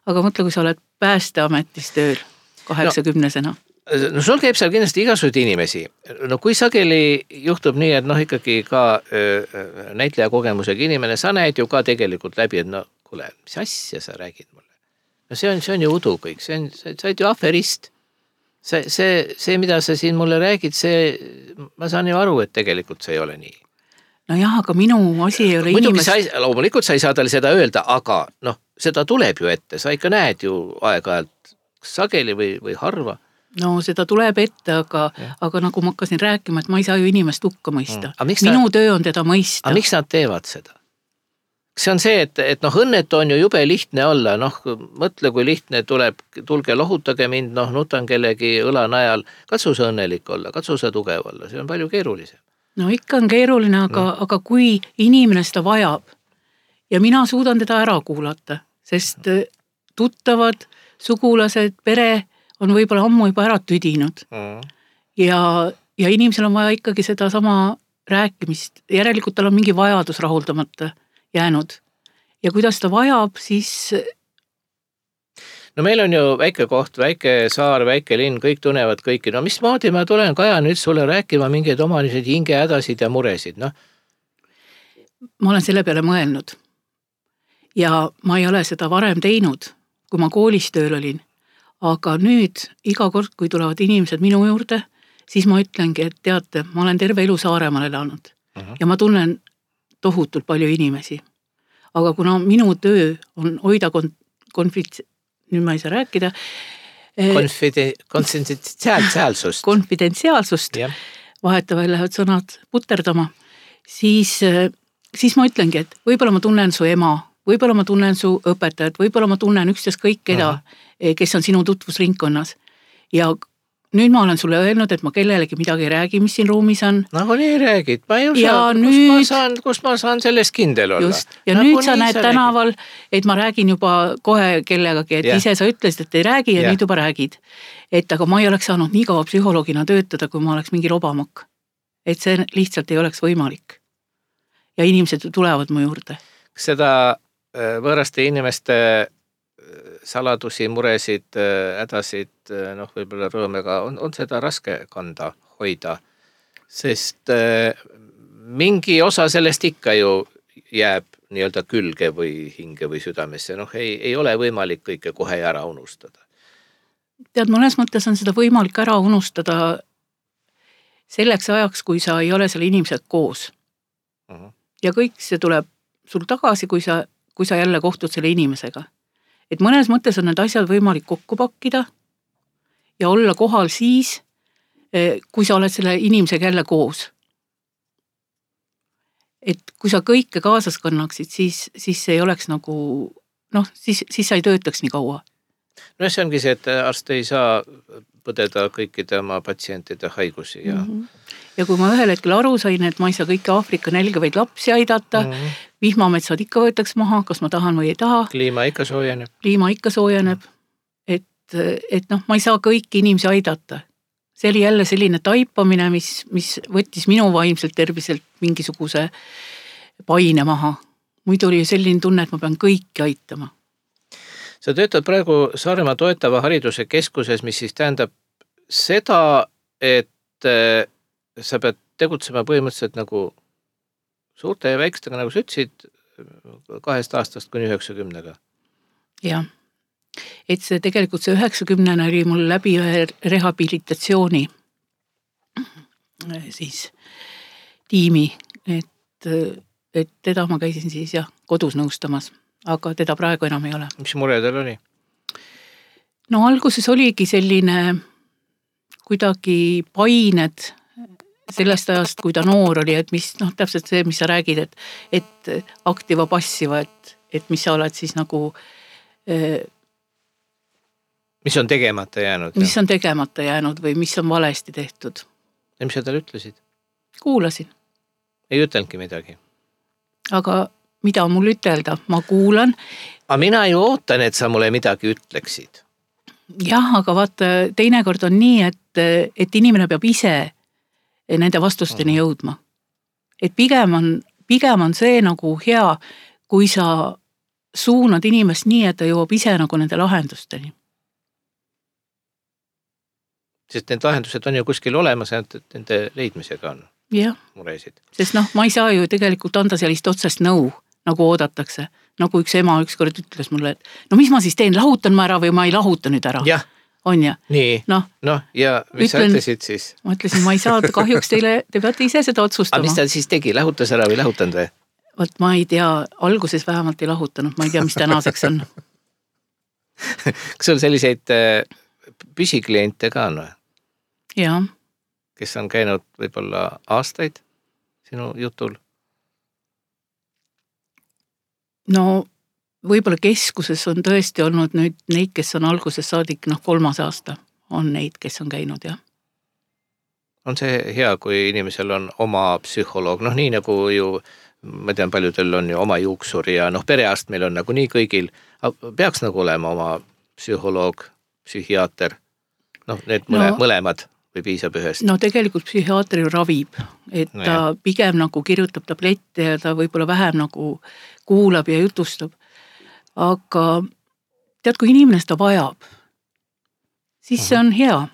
aga mõtle, kui sa oled päästeametis tööl kaheksakümnesena. No. No sul käib seal kindlasti igasugused inimesi. No kui sageli juhtub nii, et noh ikkagi ka öö, näitleja kogemusega inimene, sa näed ju ka tegelikult läbi, et no kuule, mis asja sa räägid mulle? No see on, see on ju udu kõik, see on, sa oled ju aferist. See, see, see, mida sa siin mulle räägid, see, ma saan ju aru, et tegelikult see ei ole nii. No jah, aga minu asi ei ole inimest... Sa ei, loomulikult sa ei saa talle seda öelda, aga noh, seda tuleb ju ette, sa ikka näed ju aeg-ajalt sageli või, või harva. No seda tuleb ette, aga, aga nagu ma hakkasin rääkima, et ma ei saa ju inimest hukka mõista. Mm. Minu ta... töö on teda mõista. Aga miks nad teevad seda? See on see, et, et noh, õnnetu on ju jube lihtne olla, noh, mõtle, kui lihtne tuleb, tulge lohutage mind, noh, nutan kellegi õla najal, katsu sa õnnelik olla, katsu sa tugev olla, see on palju keerulisem. No ikka on keeruline, aga, mm. aga kui inimene seda vajab ja mina suudan teda ära kuulata, sest tuttavad, sugulased, pere on võib-olla ammu juba ära tüdinud mm. ja, ja inimesel on vaja ikkagi seda sama rääkimist, järelikult tal on mingi vajadus rahuldamata jäänud ja kuidas ta vajab, siis... No meil on ju väike koht, väike saar, väike linn, kõik tunnevad kõiki, no mis maadi ma tulen, Kaja, nüüd sulle rääkima mingeid omalised hingehädasid ja muresid, noh? Ma olen selle peale mõelnud ja ma ei ole seda varem teinud, kui ma koolis tööl olin. Aga nüüd iga kord, kui tulevad inimesed minu juurde, siis ma ütlengi, et teate, ma olen terve elu Saaremaal elanud uh-huh. ja ma tunnen tohutult palju inimesi. Aga kuna minu töö on hoida kon- konfits... nüüd ma ei saa rääkida. Konfide... Konfidentsiaalsust. Konfidentsiaalsust. Yeah. Vahetavahel lähevad sõnad puterdama. Siis, siis ma ütlengi, et võib-olla ma tunnen su ema, võib-olla ma tunnen su õpetajat, võib-olla ma tunnen üksteis kõik keda, uh-huh. kes on sinu tutvusringkonnas. Ja nüüd ma olen sulle öelnud, et ma kellelegi midagi ei räägi, mis siin ruumis on. Nagu nii räägid, ma ei usa, kus, nüüd... ma saan, kus ma saan sellest kindel olla. Just. Ja nagu nüüd sa näed sa tänaval, et ma räägin juba kohe kellegagi, et yeah. ise sa ütlesid, et ei räägi ja yeah. nüüd juba räägid. Et aga ma ei oleks saanud nii kaua psühholoogina töötada, kui ma oleks mingi robamak. Et see lihtsalt ei oleks võimalik. Ja inimesed tulevad mu juurde. Seda võõraste inimeste saladusi, muresid, hädasid, noh, võib-olla rõõmega on, on seda raske kanda, hoida, sest mingi osa sellest ikka ju jääb nii-öelda külge või hinge või südamesse, noh, ei, ei ole võimalik kõike kohe ära unustada. Tead, mõnes mõttes on seda võimalik ära unustada selleks ajaks, kui sa ei ole selle inimesed koos. Uh-huh. Ja kõik see tuleb sul tagasi, kui sa, kui sa jälle kohtud selle inimesega. Et mõnes mõttes on need asjad võimalik kokku pakkida ja olla kohal siis, kui sa oled selle inimesega jälle koos. Et kui sa kõike kaasas kannaksid, siis, siis see ei oleks nagu, noh, siis, siis sa ei töötaks nii kaua. No see ongi see, et arst ei saa põdeda kõikide oma patsientide haigusi ja mm-hmm. ja kui ma ühel hetkel aru sain, et ma ei saa kõiki Aafrika nälgavaid lapsi aidata, mm-hmm. vihmametsad ikka võetaks maha, kas ma tahan või ei taha. Kliima ikka soojeneb. Kliima ikka soojeneb, et, et noh, ma ei saa kõiki inimesi aidata. See oli jälle selline taipamine, mis, mis võttis minu vaimselt terviselt mingisuguse paine maha. Muidu oli selline tunne, et ma pean kõiki aitama. Sa töötad praegu Saaremaa toetava hariduse keskuses, mis siis tähendab seda, et sa pead tegutsema põhimõtteliselt nagu suurte ja väikestega, nagu sa ütlesid, kahest aastast kuni üheksakümnega. Jah, et see tegelikult see üheksakümnene oli mul läbi ühe rehabilitatsiooni siis tiimi, et, et teda ma käisin siis jah, kodus nõustamas, aga teda praegu enam ei ole. Mis mure teil oli? No alguses oligi selline kuidagi pained sellest ajast, kui ta noor oli, et mis, noh, täpselt see, mis sa räägid, et, et aktiva passiva, et, et mis sa oled siis nagu eh, mis on tegemata jäänud? Mis on tegemata jäänud või mis on valesti tehtud. Ja mis sa talle ütlesid? Kuulasin. Ei ütelnudki midagi? Aga mida mul ütelda? Ma kuulan. Aga mina ju ootan, et sa mulle midagi ütleksid. Jah, aga vaata, teinekord on nii, et, et inimene peab ise nende vastusteni jõudma. Et pigem on, pigem on see nagu hea, kui sa suunad inimest nii, et ta jõuab ise nagu nende lahendusteni. Sest need lahendused on ju kuskil olemas, et nende leidmisega on ja. Muresid. Sest noh, ma ei saa ju tegelikult anda sellist otsest nõu, nagu oodatakse. Nagu üks ema ükskord ütles mulle, et no mis ma siis teen, lahutan ma ära või ma ei lahuta nüüd ära? Jah. On ja? Nii, no, no ja mis ütlen, sa ütlesid siis? Ma ütlesin, ma ei saa, kahjuks teile, te peate ise seda otsustama. Aga mis ta siis tegi, lahutas ära või lahutanud või? Vot ma ei tea, alguses vähemalt ei lahutanud, ma ei tea, mis tänaseks on. Kas sul selliseid püsikliente ka on või? Jaa. Kes on käinud võib-olla aastaid sinu jutul? No võib-olla keskuses on tõesti olnud nüüd neid, kes on alguses saadik, noh kolmas aasta on neid, kes on käinud, jah. On see hea, kui inimesel on oma psühholoog, noh nii nagu ju, ma tean, paljudel on ju oma juuksur ja noh, perearst meil on nagu nii kõigil, peaks nagu olema oma psühholoog, psühhiaater, noh need mõle, no, mõlemad või piisab ühest? No tegelikult psühhiaater ju ravib, et no, ta jah. Pigem nagu kirjutab tablette ja ta võib-olla vähem nagu kuulab ja jutustab. Aga tead, kui inimene seda vajab, siis see on hea.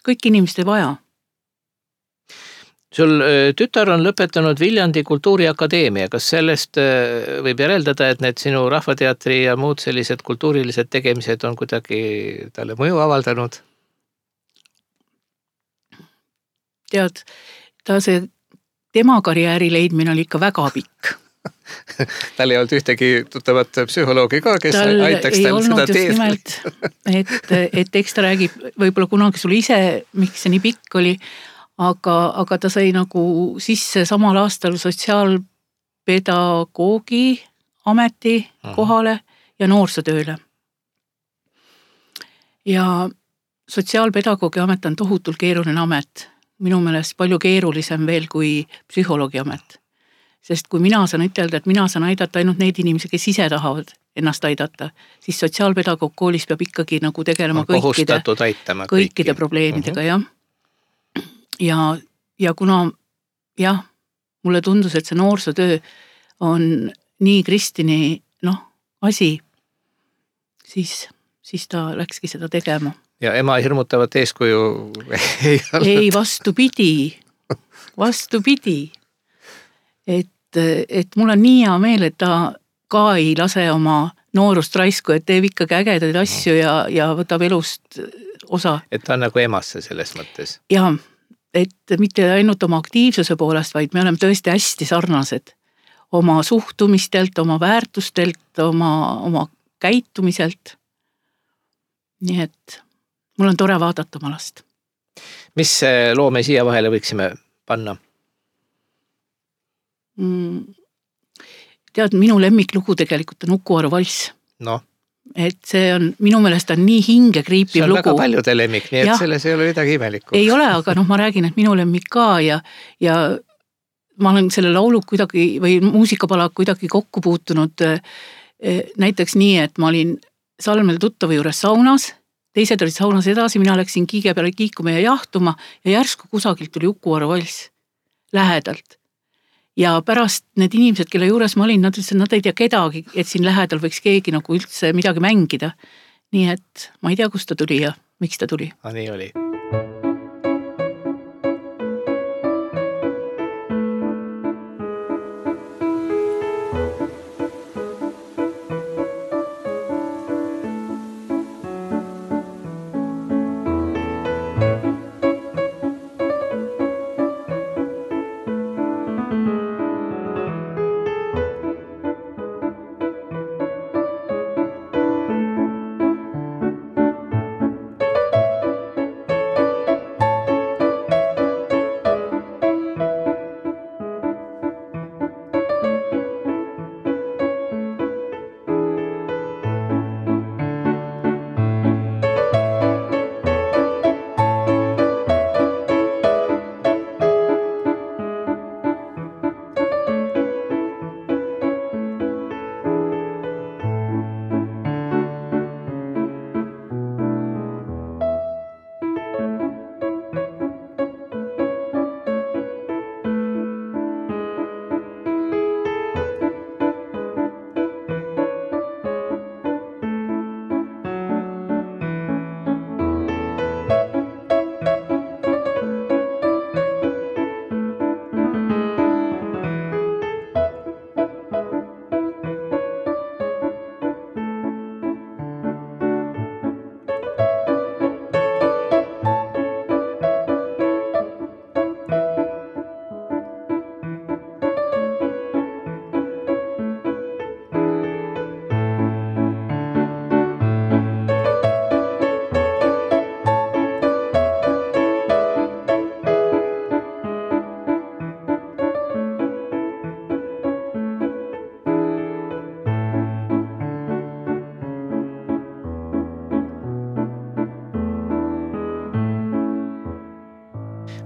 Kõik inimesed ei vaja. Sul tütar on lõpetanud Viljandi Kultuuriakadeemia. Kas sellest võib järeldada, et need sinu rahvateatri ja muud sellised kultuurilised tegemised on kuidagi talle mõju avaldanud? Tead, ta see tema karjääri leidmine oli ikka väga pikk. Tal ei olnud ühtegi tuttavat psühholoogi ka, kes tal aitaks tal seda teed. Nimelt, et, et eks ta räägib võib-olla kunagi sul ise, miks see nii pikk oli, aga, aga ta sai nagu sisse samal aastal sotsiaalpedagoogi ameti kohale ja noorsootööle. Ja sotsiaalpedagoogi amet on tohutult keeruline amet. Minu meelest palju keerulisem veel kui psühholoogi amet. Sest kui mina saan ütelda, et mina saan aidata ainult neid inimesi, kes ise tahavad ennast aidata, siis sotsiaalpedagoog koolis peab ikkagi nagu tegelema kõikide, kõikide probleemidega, uh-huh. jah. Ja, ja kuna, jah, mulle tundus, et see noorsootöö on nii Kristini, noh, asi, siis, siis ta läkski seda tegema. Ja ema hirmutavat eeskuju ei olnud? Ei, vastupidi, vastupidi. Et et mul on nii hea meel, et ta ka ei lase oma noorust raisku, et teeb ikkagi ägedaid asju ja, ja võtab elust osa. Et ta on nagu emasse selles mõttes. Ja, et mitte ainult oma aktiivsuse poolest, vaid me oleme tõesti hästi sarnased. Oma suhtumistelt, oma väärtustelt, oma, oma käitumiselt. Nii et mul on tore vaadata oma last. Mis loome siia vahele võiksime panna? Tead, minu lemmiklugu tegelikult on Uku Aru valss. No. et see on, minu meelest on nii hinge kriipiv lugu. See on lugu. Väga paljude lemmik, nii et ja, selles ei ole midagi imelikku. Ei ole, aga noh, ma räägin, et minu lemmik ka ja, ja ma olen selle laulu kuidagi või muusikapala kuidagi kokku puutunud näiteks nii, et ma olin Salmel tuttava juures saunas, teised olid saunas edasi, mina läksin kiige peale kiikuma ja jahtuma ja järsku kusagilt tuli Uku-Aru valss lähedalt. Ja pärast need inimesed, kelle juures ma olin, nad ütlesid, nad ei tea kedagi, et siin lähedal võiks keegi nagu üldse midagi mängida. Nii et ma ei tea, kust ta tuli ja miks ta tuli. A, nii oli.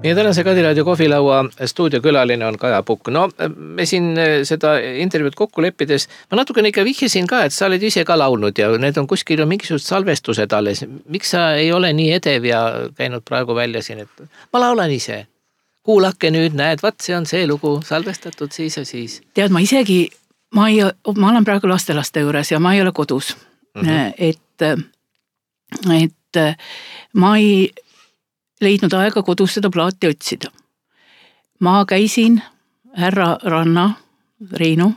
Meie tänase Kadiraadio kohvilaua stuudiokülaline on Kaja Pukk. No me siin seda intervjuud kokku leppides, ma natukene ikka vihjasin ka, et sa oled ise ka laulnud ja need on kuskil mingisugused salvestused alles. Miks sa ei ole nii edev ja käinud praegu välja siin, et ma laulan ise. Kuulake nüüd, näed, vaat see on see lugu salvestatud siis ja siis. Tead, ma isegi, ma, ei, ma olen praegu lastelaste juures ja ma ei ole kodus. Mm-hmm. Et, et ma ei leidnud aega kodus seda plaati otsida. Ma käisin härra Ranna, Reinu,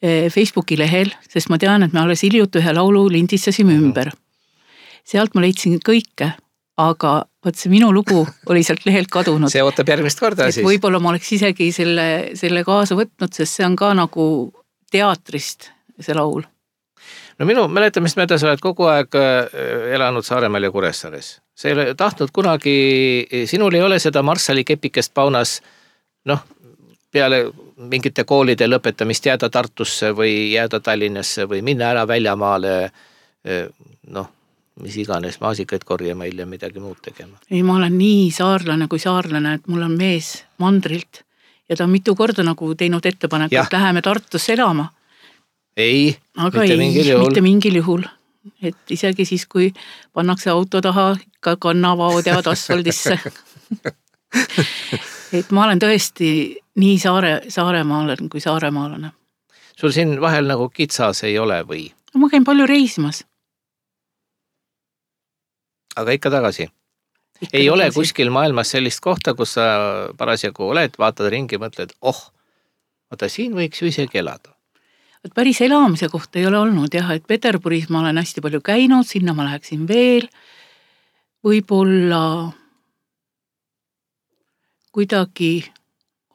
Facebooki lehel, sest ma tean, et me alles hiljuti ühe laulu lindistasime ümber. Sealt ma leidsin kõike, aga võt see minu lugu oli sealt lehelt kadunud. See ootab järgmist korda siis. Võib-olla ma oleks isegi selle, selle kaasa võtnud, sest see on ka nagu teatrist see laul. No minu mäletamist mööda sa oled kogu aeg elanud Saaremaal ja Kuressaares. See ei ole tahtnud kunagi, sinul ei ole seda Marssali kepikest paunas, noh, peale mingite koolide lõpetamist jääda Tartusse või jääda Tallinnasse või minna ära väljamaale, noh, mis iganes, maasikaid korjama hiljem midagi muud tegema. Ei, ma olen nii saarlane kui saarlane, et mul on mees mandrilt ja ta on mitu korda nagu teinud ettepaneku, et läheme Tartusse elama. Ei, aga mitte ei, mingil juhul. Mitte mingil juhul. Et isegi siis, kui pannakse auto taha, ka kannavaod jäävad asfaldisse. Et ma olen tõesti nii saare, saaremaalane kui saaremaalane. Sul siin vahel nagu kitsas ei ole või? Ma käin palju reisimas. Aga ikka tagasi? Ikka ei tagasi. Ole kuskil maailmas sellist kohta, kus sa parasjagu oled, vaatad ringi, mõtled, oh, oota, siin võiks ju isegi elada. Et päris elamise kohta ei ole olnud jah, et Peterburis ma olen hästi palju käinud, sinna ma läheksin veel, võib-olla kuidagi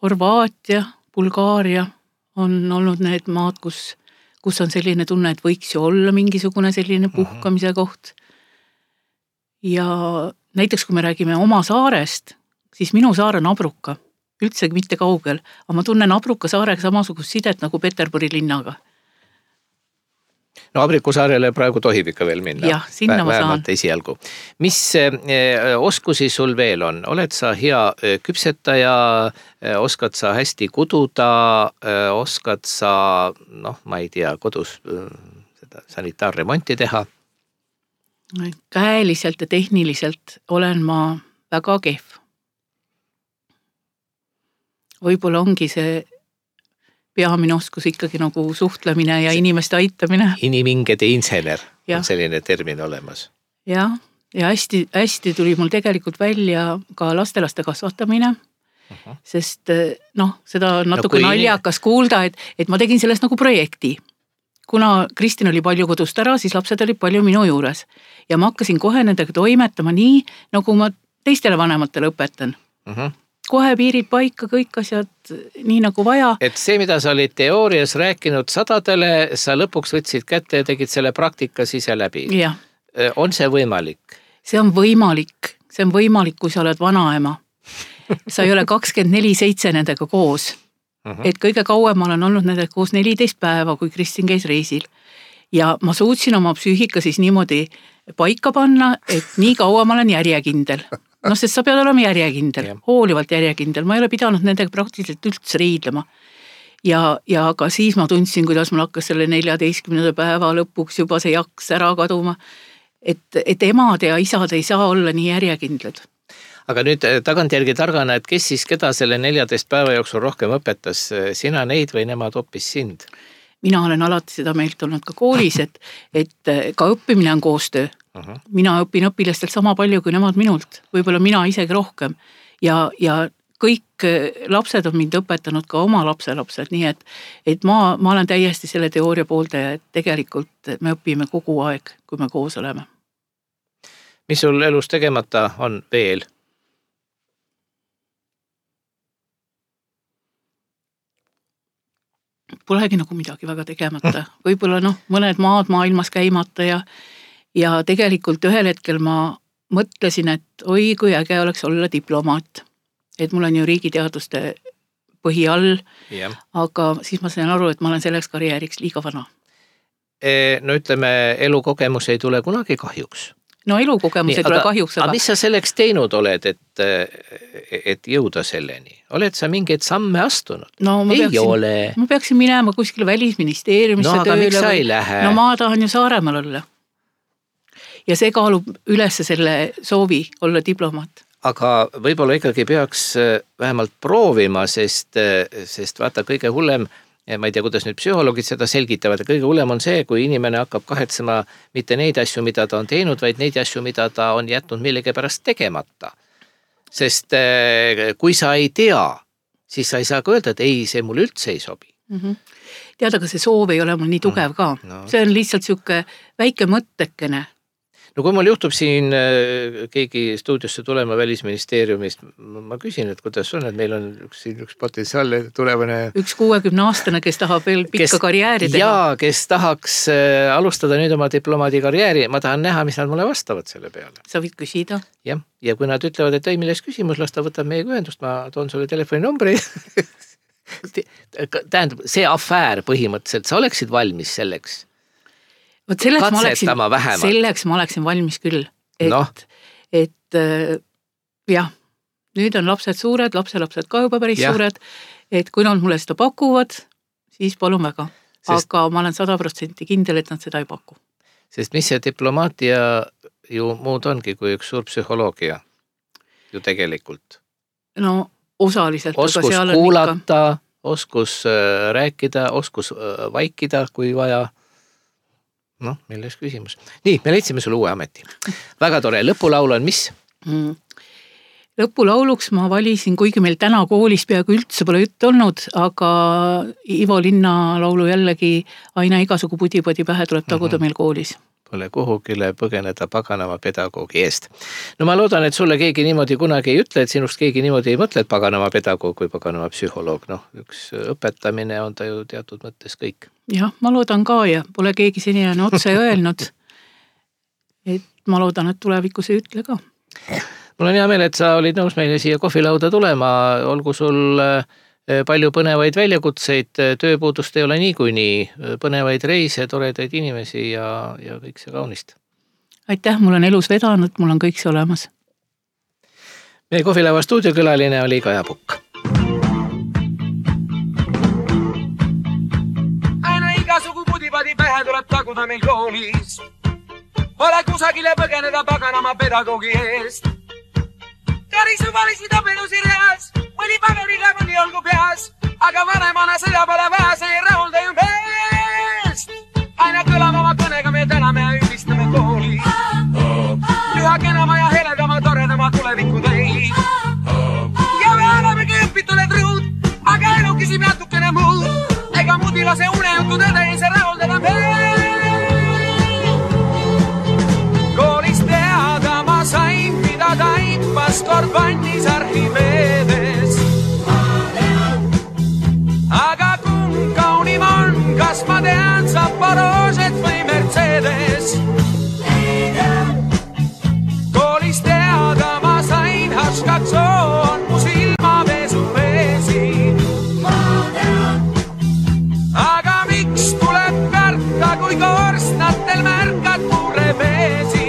Horvaatia, Bulgaaria on olnud need maad, kus, kus on selline tunne, et võiks ju olla mingisugune selline puhkamise koht. Ja näiteks kui me räägime oma saarest, siis minu saar on Abruka. Üldsegi mitte kaugel, aga ma tunnen Abruka saarega samasugust sidet nagu Peterburi linnaga. no Abrikusaarele praegu tohib ikka veel minna. Jah, sinna Vä- ma saan. Esialgu. Mis oskusi sul veel on? Oled sa hea küpsetaja, oskad sa hästi kududa, oskad sa, noh, ma ei tea, kodus seda sanitaarremonti teha? Käeliselt ja tehniliselt olen ma väga kehv. Võib-olla ongi see peamine oskus ikkagi nagu suhtlemine ja inimeste aitamine. Inimingede insener ja. On selline termin olemas. Ja, ja hästi, hästi tuli mul tegelikult välja ka lastelaste kasvatamine, uh-huh. sest noh, seda on natuke no, naljakas in... kuulda, et, et ma tegin sellest nagu projekti. Kuna Kristin oli palju kodust ära, siis lapsed olid palju minu juures ja ma hakkasin kohe nendega toimetama nii, nagu ma teistele vanematele õpetan. Uh-huh. Kohe piirid paika, kõik asjad nii nagu vaja. Et see, mida sa olid teoorias rääkinud sadadele, sa lõpuks võtsid kätte ja tegid selle praktika ise läbi. Ja. On see võimalik? See on võimalik. See on võimalik, kui sa oled vanaema. Sa ei ole kakskümmend neli seitse nendega koos. Uh-huh. Et kõige kauem ma olen olnud nendega koos neliteist päeva, kui Kristin käis reisil. Ja ma suutsin oma psüühika siis niimoodi paika panna, et nii kaua ma olen järjekindel. No sest sa pead olema järjekindel, ja. Hoolivalt järjekindel. Ma ei ole pidanud nendega praktiliselt üldse riidlema. Ja, ja ka siis ma tundsin, kuidas mul hakkas selle neljateistkümnenda päeva lõpuks juba see jaks ära kaduma. Et, et emad ja isad ei saa olla nii järjekindlad. Aga nüüd tagantjärgi targana, et kes siis keda selle neljateist päeva jooksul rohkem õpetas? Sina neid või nemad hoopis sind? Mina olen alati seda meilt olnud ka koolis, et, et ka õppimine on koostöö. Uh-huh. Mina õpin õpilastelt sama palju kui nemad minult, võib-olla mina isegi rohkem ja, ja kõik lapsed on mind õpetanud ka oma lapselapsed, nii et, et ma, ma olen täiesti selle teooria pooldaja, et tegelikult me õpime kogu aeg, kui me koos oleme. Mis sul elus tegemata on veel? Polegi nagu midagi väga tegemata, võib-olla noh, mõned maad maailmas käimata ja Ja tegelikult ühel hetkel ma mõtlesin, et oi, kui äge oleks olla diplomaat. Et mul on ju riigiteaduste põhi all, yeah. Aga siis ma sain aru, et ma olen selleks karjääriks liiga vana. E, no ütleme, elukogemus ei tule kunagi kahjuks. No elukogemus Nii, ei tule aga, kahjuks. Aga mis sa selleks teinud oled, et, et jõuda selleni? Oled sa mingeid samme astunud? No, ma ei peaksin, ole. Ma peaksin minema kuskile välisministeeriumisse no, tööle. No aga miks sa ei lähe? No ma tahan ju Saaremaal olla. Ja see kaalub üles selle soovi olla diplomaat. Aga võib-olla ikkagi peaks vähemalt proovima, sest, sest vaata kõige hullem, ma ei tea, kuidas nüüd psühholoogid seda selgitavad, kõige hullem on see, kui inimene hakkab kahetsema mitte neid asju, mida ta on teinud, vaid neid asju, mida ta on jätnud millegipärast tegemata. Sest kui sa ei tea, siis sa ei saa ka öelda, et ei, see mul üldse ei sobi. Mm-hmm. Tead, aga see soov ei ole mul nii tugev ka. No. See on lihtsalt siuke väike mõttekene. No kui mul juhtub siin keegi stuudiosse tulema välisministeeriumist, ma küsin, et kuidas on, et meil on üks, üks potentsiaalne tulevane... Üks kuuekümne aastane, kes tahab veel pikka kes, karjääri teha. Jaa, kes tahaks alustada nüüd oma diplomaadi karjääri, ma tahan näha, mis nad mulle vastavad selle peale. Sa võid küsida. Ja, ja kui nad ütlevad, et ei, milles küsimus, las ta võtab meie ühendust, ma toon sulle telefoninumbri. Tähendab, see afäär põhimõtteliselt, sa oleksid valmis selleks? Vot selleks ma, oleksin, selleks ma oleksin valmis küll, et, no. et jah, nüüd on lapsed suured, lapselapsed ka juba päris ja. Suured, et kui nad mulle seda pakuvad, siis palun väga. Sest, aga ma olen sada protsenti kindel, et nad seda ei paku. Sest mis see diplomaatia ju muud ongi kui üks suur psühholoogia ju tegelikult? No osaliselt. Oskus kuulata, ikka... oskus rääkida, oskus vaikida, kui vaja. Noh, milles küsimus. Nii, me leidsime sulle uue ameti. Väga tore. Lõpulaul on mis? Mm. Lõpulauluks ma valisin, kuigi meil täna koolis peaaegu üldse pole jutt olnud, aga Ivo Linna laulu jällegi aina igasugu pudi-pudi pähe tuleb taguda mm-hmm. meil koolis. Pole kuhugile põgeneda paganama pedagoogi eest. No ma loodan, et sulle keegi niimoodi kunagi ei ütle, et sinust keegi niimoodi ei mõtle, et paganama pedagoog või paganama psühholoog. Noh, üks õpetamine on ta ju teatud mõttes kõik. Jah, ma loodan ka ja pole keegi senijani otse öelnud, et ma loodan, et tulevikus ei ütle ka. Mul on hea meel, et sa olid nõus meile siia kohvilauda tulema, olgu sul palju põnevaid väljakutseid, tööpuudust ei ole niikuinii, põnevaid reise, toredaid inimesi ja, ja kõik see kaunist. Aitäh, mul on elus vedanud, mul on kõik see olemas. Meie Kohvilaeva stuudiokülaline oli Kaja Pukk. Aina igasugu pudipadi pähe tuleb taguda meil koolis. Ole kusagile põgeneda paganama pedagoogi eest. Karisu valisi tapenu sirjas, mõni pageriga mõni olgu peas, aga vanemana sõja pole vaja, see ei rahulda ju meest. Aina kõlama oma kõnega me täname ja ülistame kooli. Üha kenama ja heledama, toredama tuleviku teid. Ja me olemegi õpituled rõud, aga elu küsib natukene muud. Ega mudilase unejutu tõde ei see rahuldada meest. Koolis teada ma sain, mida taipas kord vannis arhiveedes. Aga kumb kaunim on, kas ma tean, saab Porožet või Mercedes? Koolis teada ma sain, Haškakso on mu silmaveesu veesi. Aga miks tuleb karta, kui korstnatel märkad mure veesi?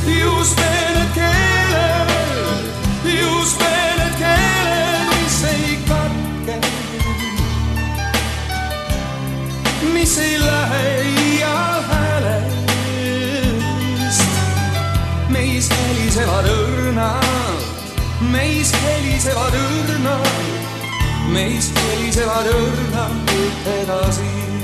Just need keeled, just need keeled, mis ei katke, mis ei lähe iial häälest. Meis helisevad õrnad, meis helisevad õrnad, meis helisevad õrnad edasi.